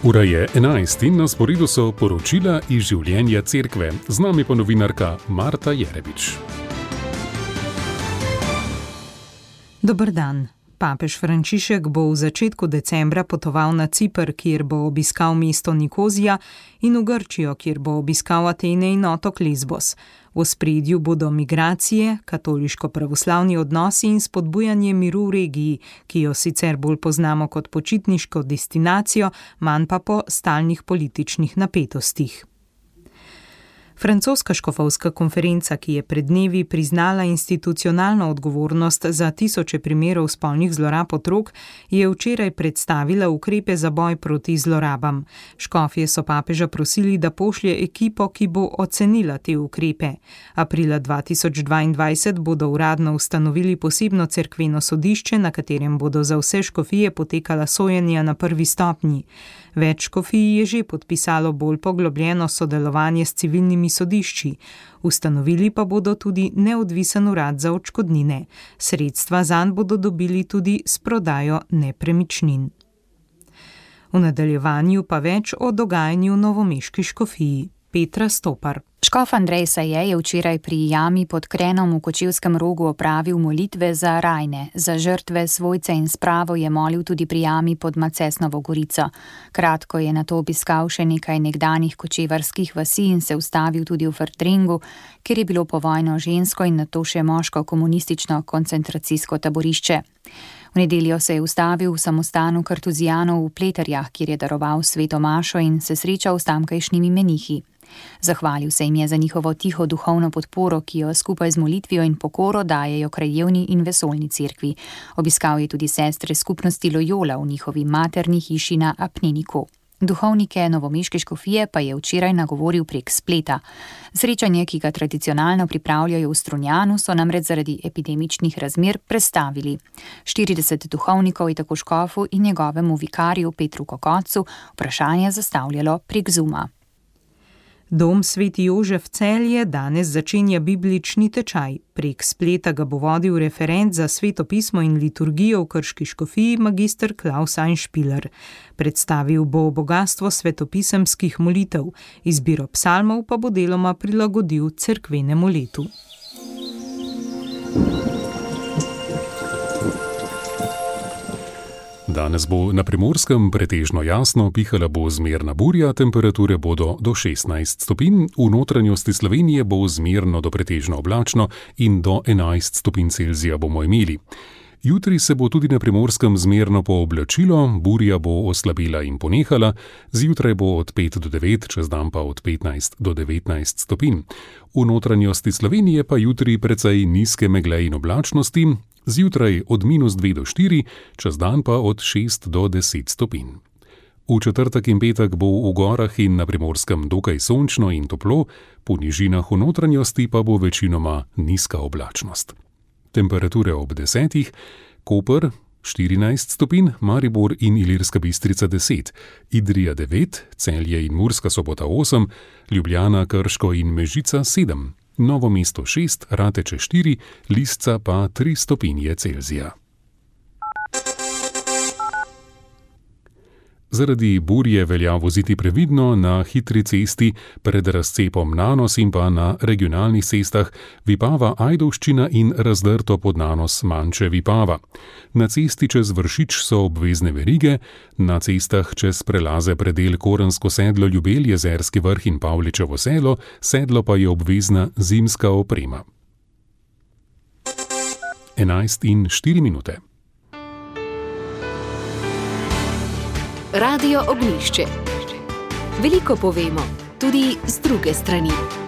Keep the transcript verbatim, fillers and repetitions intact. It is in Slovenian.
Ura je enajst in na sporedu so poročila iz življenja cerkve. Z nami pa novinarka Marta Jerebič. Dober dan. Papež Frančišek bo v začetku decembra potoval na Ciper, kjer bo obiskal mesto Nikozija, in v Grčijo, kjer bo obiskal Atene in otok Lesbos. V ospredju bodo migracije, katoliško-pravoslavni odnosi in spodbujanje miru v regiji, ki jo sicer bolj poznamo kot počitniško destinacijo, manj pa po stalnih političnih napetostih. Francoska škofovska konferenca, ki je pred dnevi priznala institucionalno odgovornost za tisoče primerov spolnih zlorab otrok, je včeraj predstavila ukrepe za boj proti zlorabam. Škofje so papeža prosili, da pošlje ekipo, ki bo ocenila te ukrepe. Aprila dva tisoč dvaindvajset bodo uradno ustanovili posebno cerkveno sodišče, na katerem bodo za vse škofije potekala sojenja na prvi stopnji. Več škofij je že podpisalo bolj poglobljeno sodelovanje s civilnimi sodišči. Ustanovili pa bodo tudi neodvisen urad za odškodnine. Sredstva zanj bodo dobili tudi s prodajo nepremičnin. V nadaljevanju pa več o dogajanju v novomeški škofiji. Petra Stopar. Škof Andrej Saje je včeraj pri jami pod Krenom v Kočevskem Rogu opravil molitve za rajne. Za žrtve, svojce in spravo je molil tudi pri jami pod Macesnovo Gorico. Kratko je nato obiskal še nekaj nekdanjih kočevarskih vasi in se ustavil tudi v Fertringu, kjer je bilo povojno žensko in nato še moško komunistično koncentracijsko taborišče. V nedeljo se je ustavil v samostanu kartuzijanov v Pleterjah, kjer je daroval sveto mašo in se srečal s tamkajšnjimi menihi. Zahvalil se jim je za njihovo tiho duhovno podporo, ki jo skupaj z molitvijo in pokoro dajejo krajevni in vesoljni cerkvi. Obiskal je tudi sestre skupnosti Loyola v njihovi materni hiši na Apneniku. Duhovnike novomeške škofije pa je včeraj nagovoril prek spleta. Srečanje, ki ga tradicionalno pripravljajo v Strunjanu, so namreč zaradi epidemičnih razmer prestavili. štirideset duhovnikov je tako škofu in njegovemu vikarju Petru Kokocu vprašanje zastavljalo prek Zooma. Dom Sveti Jožef Celje danes začenja biblični tečaj. Prek spleta ga bo vodil referent za sveto pismo in liturgijo v Krški škofiji magister Klaus Einspieler. Predstavil bo bogastvo svetopisemskih molitev, izbiro psalmov pa bo deloma prilagodil cerkvenemu letu. Danes bo na Primorskem pretežno jasno, pihala bo zmerna burja, temperature bodo do šestnajst stopinj, v notranjosti Slovenije bo zmerno do pretežno oblačno in do enajst stopinj Celzija bomo imeli. Jutri se bo tudi na Primorskem zmerno pooblačilo, burja bo oslabela in ponehala, zjutraj bo od pet do devet, čez dan pa od petnajst do devetnajst stopinj. V notranjosti Slovenije pa jutri precej nizke megle in oblačnosti, zjutraj od minus dve do štiri, čez dan pa od šest do deset stopinj. V četrtek in petek bo v gorah in na Primorskem dokaj sončno in toplo, po nižinah v notranjosti pa bo večinoma nizka oblačnost. Temperature ob desetih, Koper štirinajst stopinj, Maribor in Ilirska Bistrica deset, Idrija devet, Celje in Murska Sobota osem, Ljubljana, Krško in Mežica sedem. Novo mesto šest, Rateče štiri, Lisca pa tri stopinje Celzija. Zaradi burje velja voziti previdno na hitri cesti pred razcepom Nanos in pa na regionalnih cestah Vipava Ajdovščina in razdrto pod Nanos Manče Vipava. Na cesti čez Vršič so obvezne verige, na cestah čez prelaze predel Korensko sedlo Ljubelj, Jezerski vrh in Pavličevo selo, sedlo pa je obvezna zimska oprema. enajst in štiri minute. Radio Ognjišče. Veliko povemo, tudi z druge strani.